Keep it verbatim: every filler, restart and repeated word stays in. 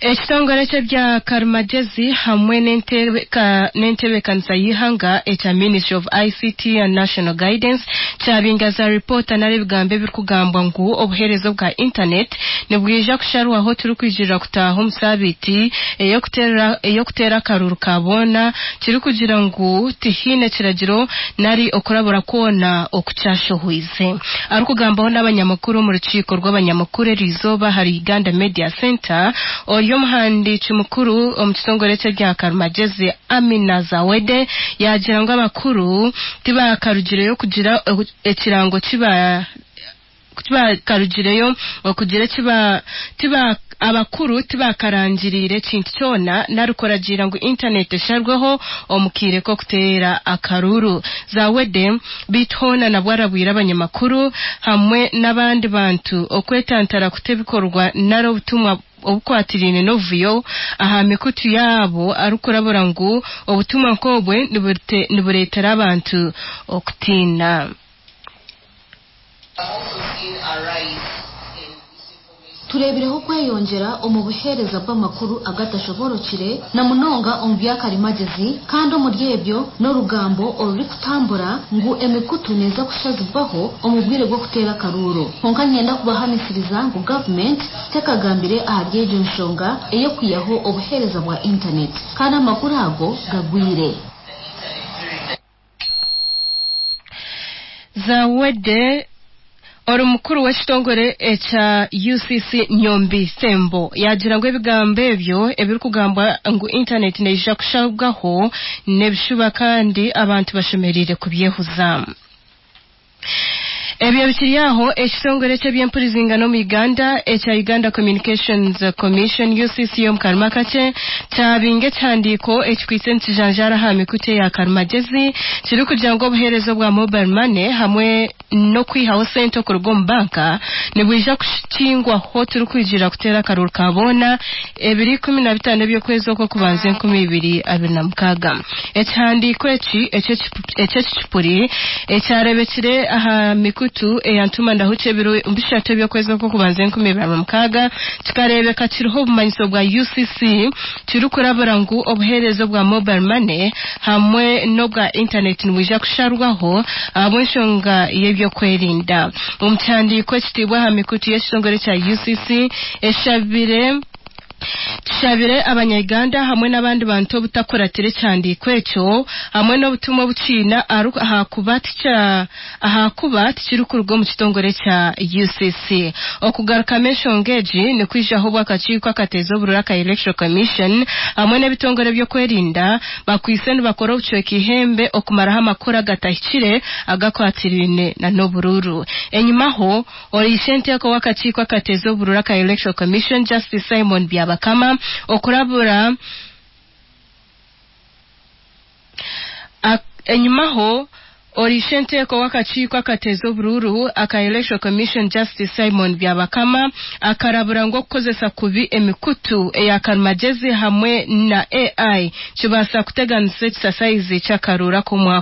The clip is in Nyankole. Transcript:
Ekitongore ky'ebya karimagyezi hamwe n'entebeekanisa y'eihanga ekya Ministry of I C T and National Guidance kyabinga za ripoota nari ebigambo ebirikugambwa ngu obuheereza obwa intaneti nibwija kusharwaho turikwijirira kutaaha omu saabiiti ey'okuteera akaruru ka boona, kirikugira ngu tihaine kiragiro nari okurabura kwona okukyashohwize. Arikugambaho n'abanyamakuru omu rukiiko rw'abanyamakuru eriizooba ahari Uganda Media Center, ori omuhandiiki mukuru omu kitongore ky'ebya karimagyezi, Amina Zawede, yaagira ngu abakuru tibakarugireyo kugira ekirango kiba tibakarugireyo okugira ekiba tiba abakuru tibakarangiriire ekintu kyona nari kuragiira ngu intaneti esharweho omu kaire k'okuteera akaruru. Zawede beitu hoona nabwo arabwire abanyamakuru hamwe n'abandi bantu okwetantara kuta ebikorwa nari obutumwa obukwatiraine n'obuvuyo aha mikutu yaabo, arikurabura ngu obutumwa nk'obwe nibureetera abantu okutiina. Also seen a rise in Tureebireho okweyongyera omu buheereza bw'amakuru agatashoborokire na munonga omu byakarimagyezi, kandi omuri ebyo n'orugambo orurikutambura ngu emikutu neeza kushazibwaho omu bwire bw'okuteera akaruuru. Kwonka niinyenda kubahamisiriza ngu gavumenti tekagambire ahari egyo nshonga ey'okwihaho obuheereza bwa intaneti, kandi amakuru ago gagwire. The internet during the Zawede ori mukuru w'ekitongore ekya U C C, Nyombi Thembo, yagira ngu ebigambo ebyo ebirikugambwa ngu intaneti neija kushabwaho n'ebishuba kandi abantu bashemereire kubyehuza. Ebyo bikiri aho, ekitongore ky'ebyempurizingano omu Uganda ekya Uganda Communications Commission, U C C, omu karuma kakye kyabinga ekihandiiko ekikwitse nikijanjaara aha mikutu eya karimagezi kirikugira ngu obuheereza obwa mobile money hamwe n'okwihaho sente okuruga omu banka nibwija kukingwaho turikwigira kuteera akaruru ka boona ebiri ikumi na bitaano eby'okwezi okw'okubanza enkumi ibiri abiri na mukaaga. Ekihandiiko eki eky'ekicupuri ekyarebekire aha mikutu eya ntuma ndahuki ebiro bishatu eby'okwezi okw'okubanza enkumi ibiri na mukaaga kikareebeka kiriho obumanyiso bwa U C C, kirikurabura ngu obuheereza obwa mobile money hamwe n'obwa intaneti nibwija kusharwaho ahabw'enshonga y'ebyokwerinda. Omu kihandiiko ekitiibwe aha mikutu y'ekitongore kya U C C, eshabire tushabire Abanyayuganda hamwe n'abandi bantu obutakuratira ekihandiiko ekyo hamwe n'obutumwa obukiina ahakuba ahakuba tikirikuruga omu kitongore kya U C C. Okugarukamu enshonga egi nikwijaho obw'akakiiko akateeza obururu aka Electoral Commission hamwe n'ebitongore by'okwerinda bakwise nibakora obucweka ihembe okumaraho amakuru agatahikire agakwatiraine na n'obururu. Enyimaho, oreishe enteeko w'akakiiko akateeza obururu aka Electoral Commission, Justice Simon Byabakama, okurabura enyimaho oreishe enteeko w'akakiiko akateeza obururu aka Electoral Commission, Justice Simon Byabakama, akarabura ngu okukozesa kubi emikutu eya karimagezi hamwe na A I kibaasa kuteganisa ekisasayizi ky'akaruru ak'omwaka.